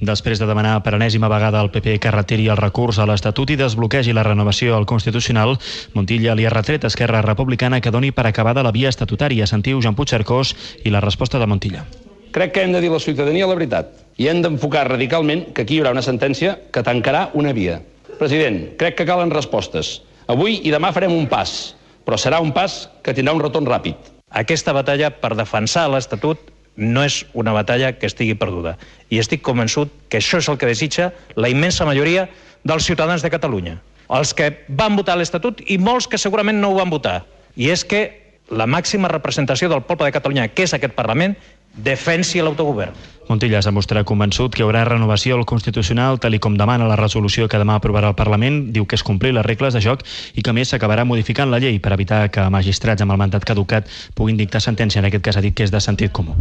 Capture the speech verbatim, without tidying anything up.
Després de demanar per enèsima vegada al P P que retiri el recurs a l'Estatut i desbloquegi la renovació al Constitucional, Montilla li ha retret a Esquerra Republicana que doni per acabada la via estatutària. Sentiu Joan Puigcercós i la resposta de Montilla. Crec que hem de dir a la ciutadania la veritat i hem d'enfocar radicalment que aquí hi haurà una sentència que tancarà una via. President, crec que calen respostes. Avui i demà farem un pas, però serà un pas que tindrà un retorn ràpid. Aquesta batalla per defensar l'Estatut no és una batalla que estigui perduda. I estic convençut que això és el que desitja la immensa majoria dels ciutadans de Catalunya. Els que van votar l'Estatut i molts que segurament no ho van votar. I és que la màxima representació del poble de Catalunya, que és aquest Parlament, defensi l'autogovern. Montilla s'ha mostrat convençut que hi haurà renovació al Constitucional, tal i com demana la resolució que demà aprovarà el Parlament. Diu que és complir les regles de joc i que a més s'acabarà modificant la llei per evitar que magistrats amb el mandat caducat puguin dictar sentència. En aquest cas ha dit que és de sentit comú.